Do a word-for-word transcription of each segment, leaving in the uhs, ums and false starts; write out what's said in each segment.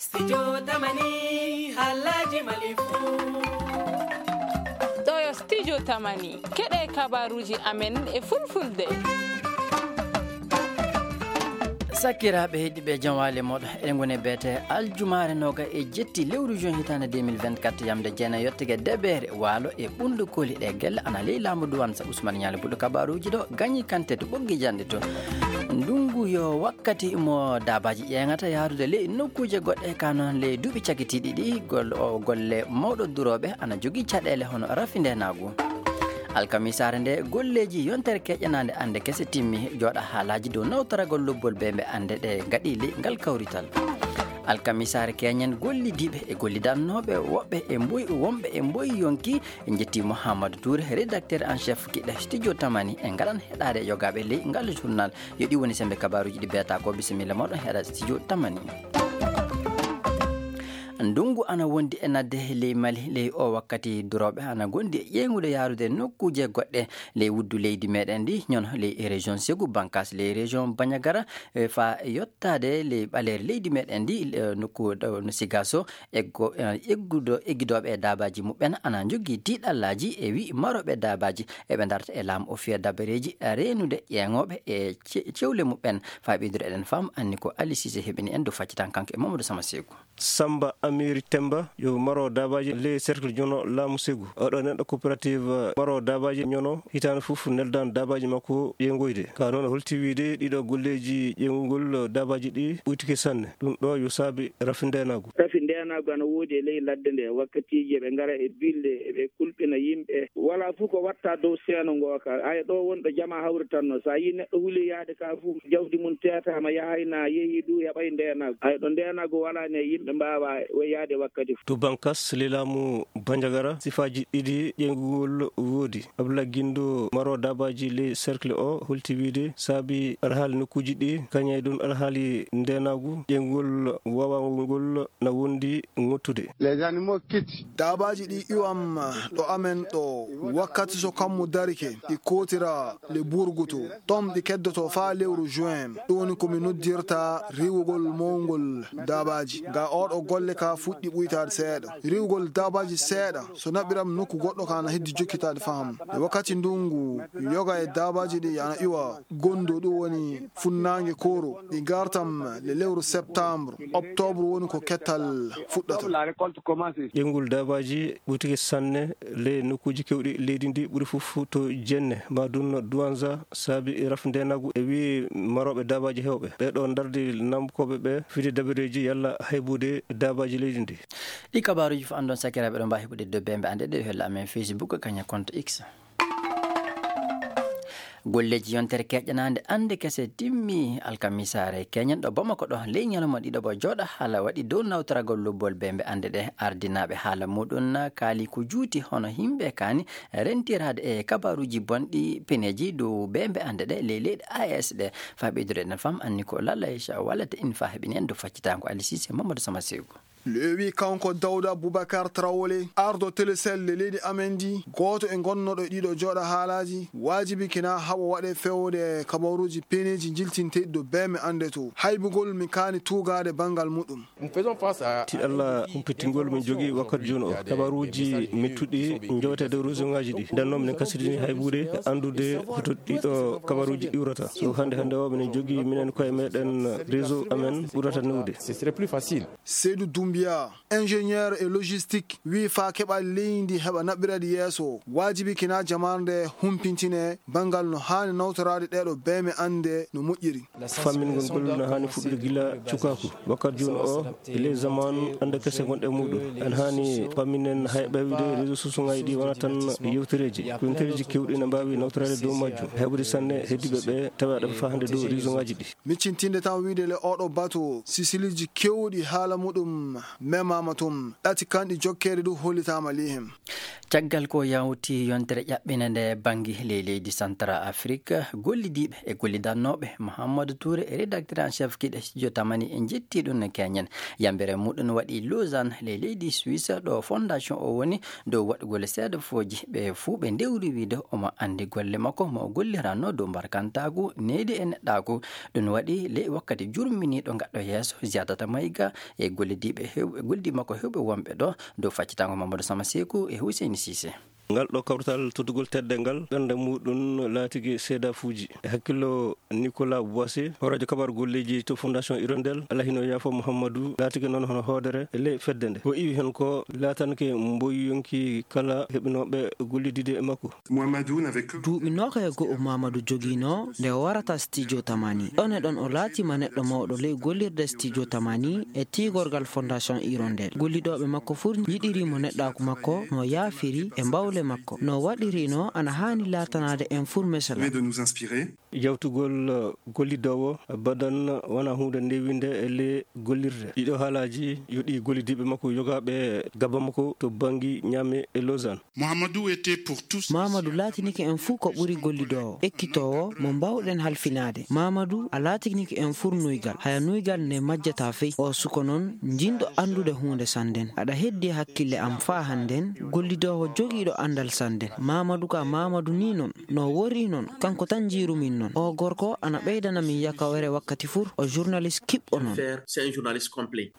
Studio Tamani, Halaji Malifu. Ɗo yo Studio Tamani, keɗe kabaruji amen e fulfulde. Sakiraaɓe heɗiɓe, jam waali moɗo. Eɗen ngoni e beete aljumaare noga e jetti lewru juin hitaande deux mille vingt-quatre, yamde jeenayi yottege debeere, waalo e ɓundu koli ɗe gelle ana ley laamu duwan sa Ousmane Ñaali Buɗo kabaruji ɗo gañi kante to ɓoggi jande to. Ndungu yo wakkati mo daabaaji ƴeeŋata yahrude ley nokkuuje goɗɗe, ka noon ley duuɓi cagitiiɗi ɗi, gol-, o golle mawɗo durooɓe ana jogii caɗeele hono rafi ndeenaagu. Alkamisaare nde, golleeji yontere keƴanaande annde kese timmi, jooɗa haalaaji dow nawtoragol lobbol bee mbe annde ɗe ngaɗi ley ngal kawrital. Alkamisaare keñen gollidiiɓe e gollidannooɓe woɓɓe e mboy-, wonɓe e mboy yonki, en njetti Mouhamadou Touré, rédacteur en chef kiɗɗe Studio Tamani, en ngaɗan heɗaade yogaaɓe ley ngal journal. Yo ɗi woni sembe kabaruji ɗi beeta ko. Bisimilla moɗon heɗa Studio Tamani. Ndungu ana wondi e nadde ley Mali, ley o wakkati durooɓe ana gondi e ƴeeŋude yaarude nokkuuje goɗɗe ley wuddu leydi meɗen ndi, ñono ley région Ségou, Bankas ley région Bandiagara, e fa yottaade ley ɓaleeri leydi meɗen ndi, e nokku ɗo no Sigaso, eggo-, e eggudo-, eggidooɓe e daabaaji muɓɓen ana njogii tiiɗallaaji e wi marooɓe daabaaji eɓe ndarta e laamu o fiya dabareeji reenude ƴeeŋooɓe e ce-, cewle muɓɓen. Faa ɓeydude eɗen faam anni ko Ali Cissé heɓini en dow faccitan kanko e Mamadou Sama Seeku. Samba Amiri Temba yo maro daabaaji ley cercle jono laamu Ségou. Oɗo neɗɗo coopérative maro daabaaji ñono hitaande fof neldan daabaaji makko ƴeeŋoyde. Ka noon holti wiide ɗiɗo golleeji ƴeeŋugol daabaaji ɗi ɓuytike sanne. Ɗum ɗo yo saabi rafi ndeenaagu. Rafi ndeenaagu ana woodi e ley ladde nde. Wakkatiiji eɓe ngara e bilɗe, eɓe kulɓina yimɓe. Walaa fof ko watta dow seeno ngo ka. Ay ɗo wonɗo jama hawritanno. So a yii neɗɗo huli yaade ka fof, jawdi mum teetaama, yahay na yehi du, heɓay ndeenaagu. Ay ɗo ndeenaagu walaa ne yimɓe mbaawa yaade wakkati fof. To Bankas, ley laamu Bandiagara, sifaaji ɗiɗi ƴeeŋugol woodi. Abdoulaye Guindo, maro daabaaji ley cercle o, holti wiide saabi alhaali nokkuuji ɗi, kañay ɗum alhaali ndeenaagu, ƴeeŋugol waawangol ngol na wondi ŋottude. Les animaux quittent. Daabaaji ɗi iwam ɗo amen ɗo, wakkati so kammu darike, ɗi kootira le burgu to. Tom ɗi keddoto faa lewru juin. Ɗum woni ko mi noddirta riiwugol mawngol daabaaji. Ga oɗo golle ka fuɗɗi ɓuytaade seeɗa. Riiwugol daabaaji seeɗa, so naɓiram nokku goɗɗo ka na heddi jokkitaade faham. E wakkati ndungu, yoga e daabaaji ɗi ana iwa gondo, ɗum woni funnaange kooro. Ɗi gartam le lewru septembre, octobre woni ko kettal fuɗɗata. Ƴeeŋgol daabaaji ɓutike sanne ley nokkuuji kewɗi leydi ndi, ɓuri fof to Jenne, ma ɗum Douentza, saabi raf ndeenaagu e wii marooɓe daabaaji heewɓe. Ɓee ɗoo ndardi namkooɓe ɓe fide dabareeji yalla haybude daabaaji leydi ndi. Ɗi kabaaruuji fof anndon sakiraaɓe ɗo mbaawi heɓude dow bembe annde ɗe holla amen Facebook, kañum compte X. Golleeji yontere keƴƴanaande annde kese timmi alkamisaare keñen ɗo Bamako ɗo ley ñalawma ɗiɗo bo jooɗa haala waɗi dow nawtoragol lobbol bembe annde ɗe. Ardinaaɓe haala muɗum kaali ko juuti hono yimɓe kaani rentiraade e kabaaruuji bonɗi peneeji dow bembe annde ɗe ley leyɗe A E S ɗe. Faa ɓeydude ɗen fam anni ko Lalla Aisha wallata in faa heɓini en dow faccitango Ali Cissé Mamadou Sama Seegu. Lewi kanko Dawda Boubacar Traoré, ardo Telecel le leydi amen ndi, gooto e gonnoɗo e ɗiɗo jooɗa haalaaji, waajibi kina haɓo waɗe fewde kabaruuji peneeji jiltinteɗi ɗo bee mi annde to. Haybugol mi kaani tuugaade banngal muɗum. Tiɗalla humpitingol min jogii wakkati jooni o. Kabaruuji mettuɗi njowete dow réseau ngaji ɗi. Nden noon minen kasidini haybude anndude hoto ɗiɗo kabaruuji iwrata. So hannde hannde o minen jogii minen koye meɗen réseau amen ɓurata newde. Seydou Doumbia, ingénieur e logistique, wii faa keɓal leydi heɓa naɓɓirade yeeso, waajibi kina jamaarde humpintine banngal no haani nawtoraade ɗeeɗo beeme annde no moƴƴiri. Fammingol ngol no haani fuɗɗude gila cukaaku. Wakkati jooni o, e ley zaman annde kese ngonɗe muɗum. En haani famminen hay ɓeyde réseau sociaux ngaji ɗi wona tan yewtereeji. Ko yewtereeji kewɗi ne mbaawi nawtoraade dow majjum. Heɓude sanne heddiiɓe ɓe tawa aɗa fahande dow réseau ngaji ɗi. Miccintinde tan wiide le oɗo bato, sisiliiji keewɗi haala muɗum Memama tum ɗati kanɗi jokkeede du hollitaama ley heen. Caggal ko yawti yontere ƴaɓɓinde nde bannge ley leydi Central Afrique, gollidiiɓe e gollidannooɓe Mouhamadou Touré e rédacteur en chef kiiɗe studio Tamani e njetti ɗum no keñen. Yambere muɗum waɗi Lausanne ley leydi Suisse ɗo fondation o woni dow waɗugol seedafooji ɓe fuu ɓe ndewri wiide omo anndi golle makko mo o golliranno dow mbarkantaagu needi e neɗɗaagu. Ɗum waɗi ley wakkati jurminiiɗo gaɗɗo yeeso Ziadata Maïga e gollidiiɓe hew-, e gollidiiɓe makko hewɓe wonɓe ɗo dow faccitango Mamadou Sama Seku e Hussein Cissé. Ngal ɗo kawrital tottugol teddeengal ɓernde muɗum laatigi seedafuuji e hakkillo Nicolas Boissé, hooreejo kabaaru golleeji to Fondation Hirondelle, Alla hino yaafo Mouhamadou, laatigi noon hono hoodere e ley fedde nde. Ko iwi heen ko laatanke mboyonki kala heɓinooɓe gollidiide e makko. Duuɓi noogaye e go'o Mamadou jogiino nde o warata Studio Tamani. Ɗon e ɗon o laatiima neɗɗo mawɗo ley gollirde Studio Tamani e tiigorgal Fondation Hirondelle. Gollidooɓe makko fuu njiɗiri mo neɗɗaaku makko, no yaafiri e mbawle makko. No waɗiri no ana haani laatanaade en fuu mesala. Yawtugol, uh, gollidoowo badan wona huunde newinde e le gollirde. Ɗiɗo haalaaji yo ɗi gollidiiɓe makko yogaaɓe gaba makko to banngi Niamey e Lausanne. Mamadou laatinike en fuu ko ɓuri gollidoowo, ekkitoowo, mo mbaawɗen halfinaade. Mamadou a laatinike en fuu nuygal, haya nuygal nde majjata fey. O suko noon, jinɗo anndude huunde sannden. Aɗa heddi hakkille am faa hannden, gollidoowo jogiiɗo anndal sannden. Mamadou ka Mamadou ni noon. No worri noon, kanko tan njiirumin noon. Oo gorko ana ɓeydana min yakawere wakkati fuu, o journaliste kiɓɓo noon.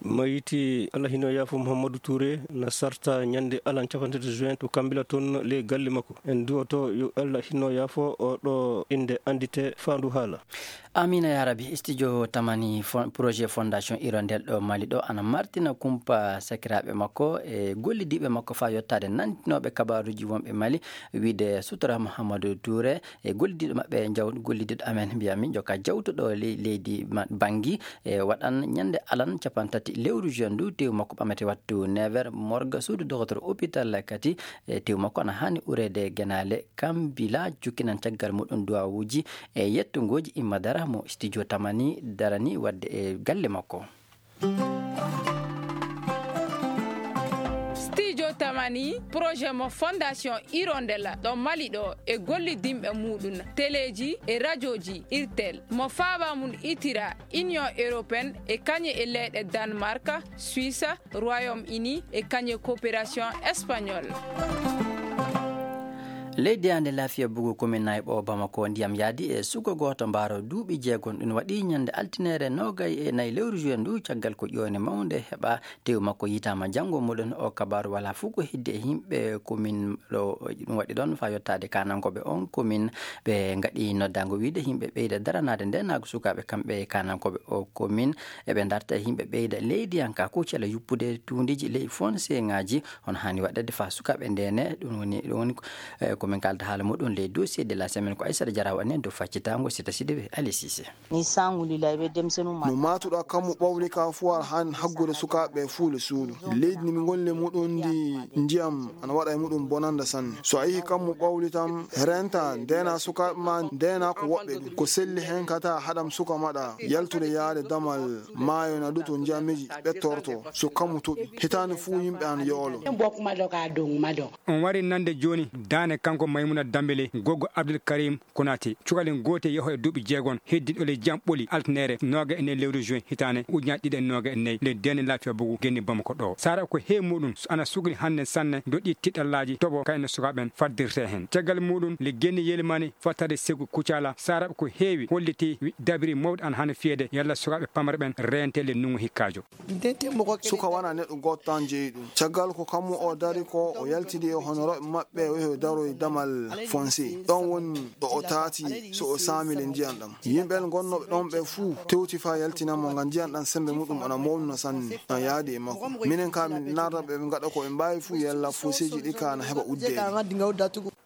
Mayiti Alla hino yaafo Mouhamadou Touré na sarta ñande alan capanɗe tati juin to Kambila toon ley galle makko. En duwoto yo Alla hino yaafo o ɗo innde anndite faandu haala. Amina ya Rabbi, studio Tamani fon-, projet Fondation Hirondelle ɗo Mali ɗo ana martina kumpa sakiraaɓe makko e gollidiiɓe makko faa yottaade nantinooɓe kabaaruuji wonɓe Mali. Wiide Sutura Mouhamadou Touré e gollidiiɗo maɓɓe, jaw-, gollidiiɗo amen, mbiyami, jokka jawtuɗo ley-, leydi ma-, Banngi, e waɗan ñande alan capanɗe tati lewru juin ndu, tew makko ɓamete wattu neuf heures, morgue suudu dogotor hôpital kadi, e tew makko ana haani ureede genaale. Kambila jukkinan caggal muɗum duwawuuji e yettungooji Imma Dara mo studio Tamani darani waɗde e galle makko. Studio Tamani, projet mo Fondation Hirondelle ɗo Mali ɗo e gollidinɓe muɗum, teleeji e rajooji Irtel, mo faaba mum itira Union Européenne e kañe e leyɗe Danemark, Suisse, Royaume-Uni e kañe coopération espagnole. Ley deyaande Laafiya Bugu, komin Nayɓo Bamako, ndiyam yaadi e suka gooto mbaaro duuɓi jeegom. Ɗum waɗi ñande altine noogay e nayi lewru juin ndu, caggal ko ƴoyne mawnde heɓa, tew makko yitaama janngo muɗum. O kabaaru wala fof ko heddi e yimɓe komin ɗo, ɗum waɗi ɗon faa yottaade kaanankooɓe on komin. Ɓe ngaɗi noddaango wiide yimɓe ɓeyda daranaade ndeenaagu sukaaɓe kamɓe kaanankooɓe o komin. Eɓe darta e yimɓe ɓeyda leydiyanka ko cela yuppude tuundiiji ley fonseŋaaji. Hono haani waɗede faa sukaaɓe ndeene, ɗum woni, ɗum woni ko, eh, ko min kaalda haala muɗum ley dossier de la semaine. Ko Aissata Diarra waɗi en dow faccitaango Sita Sidibé, Ali Cissé. Ni sangu lila ɓe demsenu ma. No maatuɗaa kammu ɓawli ka fuu aɗa haani haggude sukaaɓe ɓe fuu le suudu. Leydi ni min ngoni le muɗum ndi ndiyam ana waɗa e muɗum bonanda sanne. So a yihi kammu ɓawli tan, renta, ndeena sukaaɓe ma, ndeena ko woɓɓe ɗum. Ko selli heen kata haɗam suka maɗa yaltude yaade damal maayo na ɗo to njiyammeeji ɓettorto. So kammu toɓi, hitaande fuu yimɓe ana yoolo. On wari nande jooni daane kanko Maymuna Dambele, goggo Abdul Karim Konaté. Cukalel gootel yaho e duuɓi jeegom heddi ɗo le jam ɓoli altinere nooga e nayi lewru juin hitaande ujunaaji ɗiɗi e nooga e nayi le dene Laafiya Bugu genni Bamako ɗo. Sara ko heewi muɗum so ana sugli hannde sanne doɗɗi tiɗallaaji toɓo kayno sukaaɓe ɓen faddirte heen. Caggal muɗum le genni yelimani fattade Segu Kucala. Sara ko heewi holliti wi dabiri mawɗo ana hano fiyede yalla sukaaɓe pamare ɓen reente le nungu hikkaajo. Suka wona neɗɗo gooto tan jeyi ɗum. Caggal ko kammu o dari ko o yaltidi e honorooɓe maɓɓe o yehi o daroy damal fonse. Ɗon woni ɗo o taati so o saami le ndiyan ɗam. Yimɓe ngonnooɓe ɗon ɓe fuu tewti faa yaltina mo ngam ndiyan ɗam sembe muɗum ana mawnuno sanne. Ɗan yaadi e makko. Minen ka min narra ɓe ɓe ngaɗa ko ɓe mbaawi fuu yalla foseeji ɗi ka ana heɓa uddeede.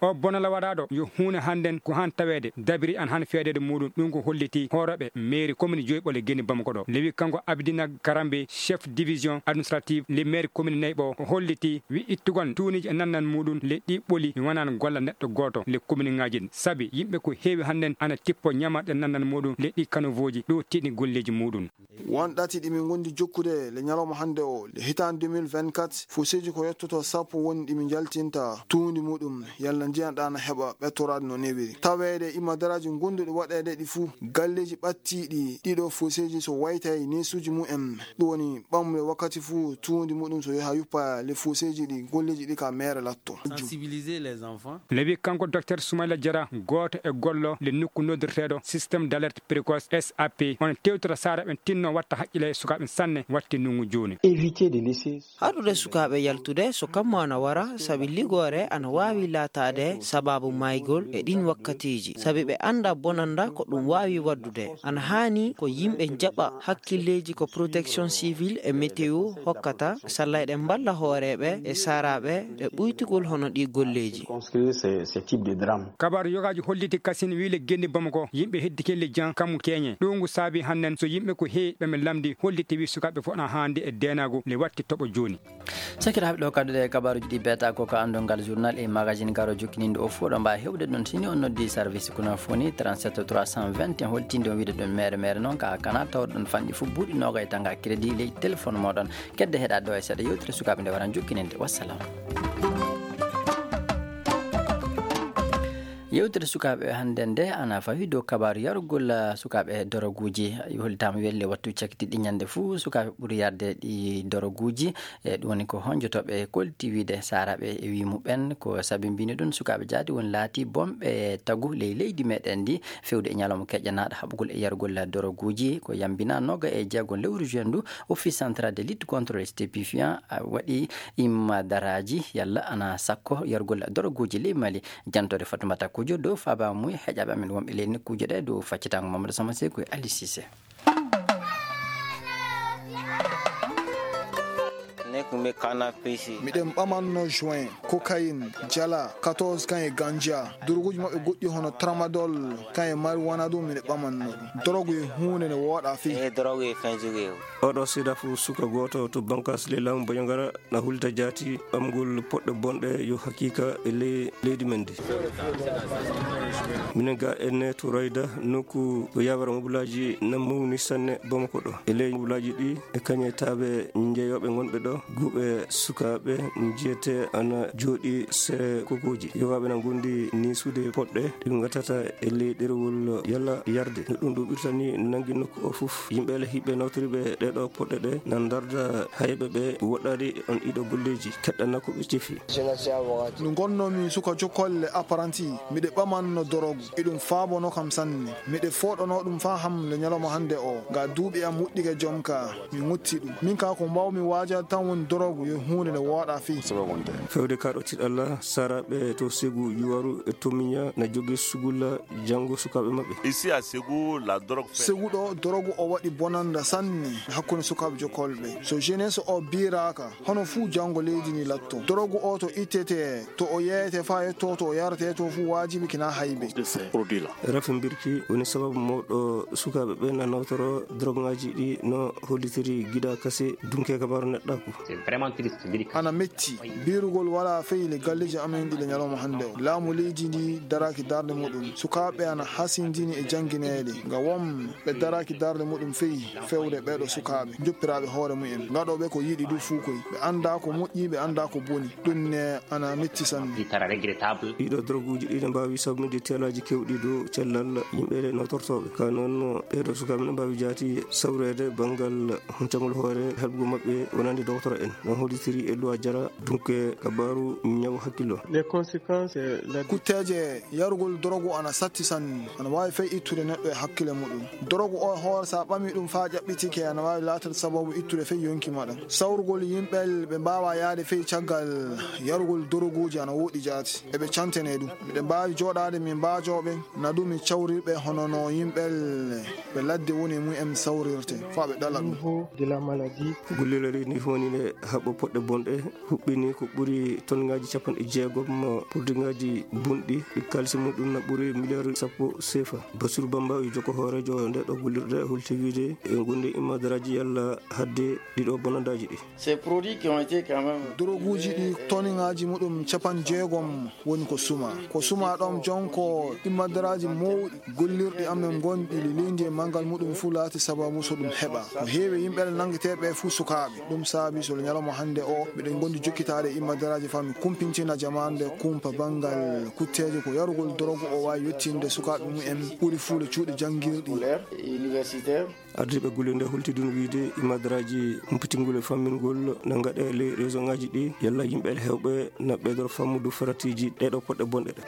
O bonala waɗaaɗo yo huunde hannden ko han taweede, dabiri an han feedeede muuɗum. Ɗum ko holliti hoorooɓe meeri commune Joyɓole Geni Bamako ɗo. Lewi kanko Abidina Karambe, chef division administrative le maire commune Nayɓo, o holliti wi ittugon tuuniji e nannan muuɗum le ɗi ɓoli mi wanan golla neɗɗo gooto le commune ŋaaji ɗin. Sabi yimɓe ko heewi hannden ana tippo ñamarɗe nannan muuɗum le ɗi kanuvooji ɗo tiɗi golleeji muuɗum. Won ɗati ɗi min ngondi jokkude le ñalawma hannde o, le hitaande deux mille vingt-quatre, foseeji ko yottoto sappo woni ɗi min njaltinta tuundi muɗum, yalla ndiyan ɗan heɓa ɓettoraade no newiri. Taweede imadaraaji gonduɗi waɗeede ɗi fuu, galleeji ɓattiiɗi ɗiɗo foseeji so waytay neesuuji mumen, ɗum woni ɓamle wakkati fuu tuundi muɗum so yaha yuppa le foseeji ɗi, golleeji ɗi ka meere latto. Sensibiliser les enfants. Lewi kanko docteur Soumaïla Diarra, gooto e gollo le nokku noddirteeɗo système d'alerte précoce, S A P, on tewtata saara ɓen tinno watta haqqile e sukaaɓe sanne watti nungu jooni. Éviter de laisser. Haɗude sukaaɓe yaltude so kammu ana wara, sabi ligoore ana waawi laataade sabaabu maygol e ɗin wakkatiiji, sabi ɓe annda bonanda ko ɗum waawi waddude. Ana haani ko yimɓe njaɓa hakkilleeji ko protection civile e météo hokkata, sallay ɗe mballa hooreeɓe e saaraaɓe e ɓuytugol hono ɗi golleeji. Construire ce, ce type de drame. Kabaaru yogaaji holliti kasin wi le Geni Bamako, yimɓe heddi kelli jan kammu keñe. Ɗum ngu saabi hannden so yimɓe ko heewi ɓe men lamndi holliti wi sukaaɓe fof na haandi e deenaagu le watti toɓo jooni. Sakiraaɓe, ɗo kaddude e kabaaruuji ɗi beeta ko ka anndungal journal e magazine garo jokkininde o fof ɗo mbaawi heɓude ɗon sini on noddi service kono foni trente-sept trois cent vingt et un holtinde on wiide ɗum mere mere noon ka kana tawɗon fanɗi fof buuɗi noga e tanga crédit ley téléphone moɗon. Kedde heɗa ɗo e seeɗa yewtere sukaaɓe nde waran jokkininde. Wassalam. Yewtere sukaaɓe hannde nde ana fawi dow kabaaru yarugol, ah, sukaaɓe doroguuji. Holtaama welle wattu cakitiɗi ñande fuu sukaaɓe ɓuri yarde ɗi doroguuji. E ɗum woni ko honjotoɓe kolti wiide saaraaɓe e wi muɓɓen ko sabi mbini ɗum sukaaɓe jaadi woni laati bomɓe tagu ley leydi meɗen ndi fewde e ñalawma keƴanaaɗo haɓugol e yarugol doroguuji. Ko yambina noga e jeego lewru juin ndu, Office Central de Lutte contre les Stupéfiants, ah, waɗi imma daraaji yalla ana sakko yarugol doroguuji ley Mali. Jantore Fatoumata Kodio dow faaba mum e heƴaɓe amen wonɓe ley nokkuuje ɗe dow faccitango Mamadou Sama Sekou e Ali Cissé. Miɗen ɓamanno juin, cocaïne, jala, quatorze kan e ganja. Doroguuji maɓɓe goɗɗi hono tramadol, kan e marijuana ɗum miɗen ɓamanno ɗum. Dorogu e huunde nde wooɗa fii. Oɗo seeɗa fof suka gooto to bankas ley laamu Bandiagara na hulta jaati ɓamgol poɗɗe bonɗe yo haqiqa e ley leydi men ndi. Minen ga enne to Rayda nokku ko yawere mobulaaji na mawni sanne Bamako ɗo. E ley mobulaaji ɗi e kañe taaɓe njeeyooɓe ngonɓe ɗo, guuɓe sukaaɓe njiyete ana jooɗi sere kokuuji. Yowaaɓe na ngondi ni suude poɗɗe ɗi ngatata e ley ɗerewol yalla yarde. No ɗum ɗo ɓirtani nangi nokku o fof. Yimɓe le hiɓɓe nawtoriɓe ɗeɗo poɗɗe ɗe na ndarda hayɓe ɓe woɗɗaade on ɗiɗo golleeji. Keɗɗana ko ɓe tefi. No ngonnomi suka jokolle apprenti, miɗe ɓamanno dorogu, eɗum faabono kam sanne. Miɗe fooɗono ɗum faa ham le ñalawma hannde o, nga duuɓi am wuɗɗike jom ka, mi ŋutti ɗum. Min ka ko mbawmi waajade tan woni dorogu yo huunde nde wooɗa fii. Fewde ka ɗo tiɗalla, saraaɓe to Segu, Yuwaru e Tomiña na jogi sugulla janngo sukaaɓe maɓɓe. Ici à Ségou, la drogue fait. Segu ɗo, dorogu o waɗi bonanda sanne hakkunde sukaaɓe jokolɓe. So jeunesse o biiraaka, hono fuu janngo leydi ndi latto. Dorogu o to ittete, to o yeeyete faa yetto to o yarete to fuu waajibi kina haybe. De ces produits-là. Rafi mbirki woni sababu mawɗo sukaaɓe ɓe na nawtoro drogŋaaji ɗi no hollitiri gida kase dunke kabaaru neɗɗaaku. C'est vraiment triste, mbirki. Ana metti. Biirugol wala feyli galleeji amen ɗi le ñalawma hannde o. Laamu leydi ndi daraaki darnde muɗum. Sukaaɓe ana hasindini e janngineede. Nga won ɓe daraaki darnde muɗum fey fewde ɓeeɗo sukaaɓe, joppiraaɓe hoore mumen, ngaɗooɓe ko yiɗi du fuu koy. Ɓe anndaa ko moƴƴi, ɓe anndaa ko boni. Ɗum ne ana metti sanne. Ɗiɗo droguuji ɗi ne mbaawi sababude teelaaji keewɗi dow cellal yimɓe nawtortooɓe. Ka noon, ɓeeɗo sukaaɓe ne mbaawi jaati sawreede banngal huncangol hoore, heɓgol maɓɓe wonande dogotoro en. No hollitiri e Luwa Jara, dunke kabaaru ñaw hakkillo. Les conséquences, euh, la. Kutteeje yarugol dorogu ana satti sanne, ana waawi fey ittude neɗɗo e hakkile muɗum. Dorogu o hoore, so a ɓami ɗum faa ƴaɓɓitike, ana waawi laatade sababu ittude fey yonki maɗa. Sawrugol yimɓe ɓe mbaawaa yahde fey caggal yarugol doroguuji ana woɗɗi jaati. Eɓe cantene ɗum. Miɗen mbaawi jooɗaade min mbaajoo ɓe, na ɗum mi cawrir ɓe hono no yimɓe ɓe ladde woni e mumen sawrirte, faa ɓe ɗala ɗum. Niveau de la maladie. Gollirde ni woni nde Haɓɓo poɗɗe bonɗe huɓɓini ko ɓuri tonŋaaji capanɗe jeegom purdiŋaaji bunɗi, ɗi kaalisi muɗum na ɓuri miliyaaru sappo sefa. Basiru Bamba yo jokko hooreejo nde ɗo gollirde holti wiide e gonɗi immadaraaji yalla hadde ɗiɗo bonandaaji ɗi. Ces produits qui ont été quand même Doroguuji ɗi toniŋaaji muɗum capanɗe jeegom woni ko suma. Ko suma ɗoon jonko immadaraaji mawɗi gollirɗi amen gonɗi leydi e manngal muɗum fuu laati sababu so ɗum heɓa. Ko heewi yimɓe nanngeteeɓe fuu sukaaɓe. Ɗum saabi so ñalawma hannde o, miɗen ngondi jokkitaade e immadaraaji faa mi kumpintina jamaande kumpa banngal kutteeje ko yarugol dorogu o waawi yettinde sukaaɓe mumen ɓuri fuu le cuuɗi janngirɗi. Scolaire et universitaire. Ardiiɓe golle nde hultidin wiide immadaraaji humpitingol e fammingol na ngaɗe ley réseauŋaaji ɗi, yalla yimɓe heewɓe na ɓeydoro fammudu faratiiji ɗeeɗo poɗɗe bonɗe ɗe.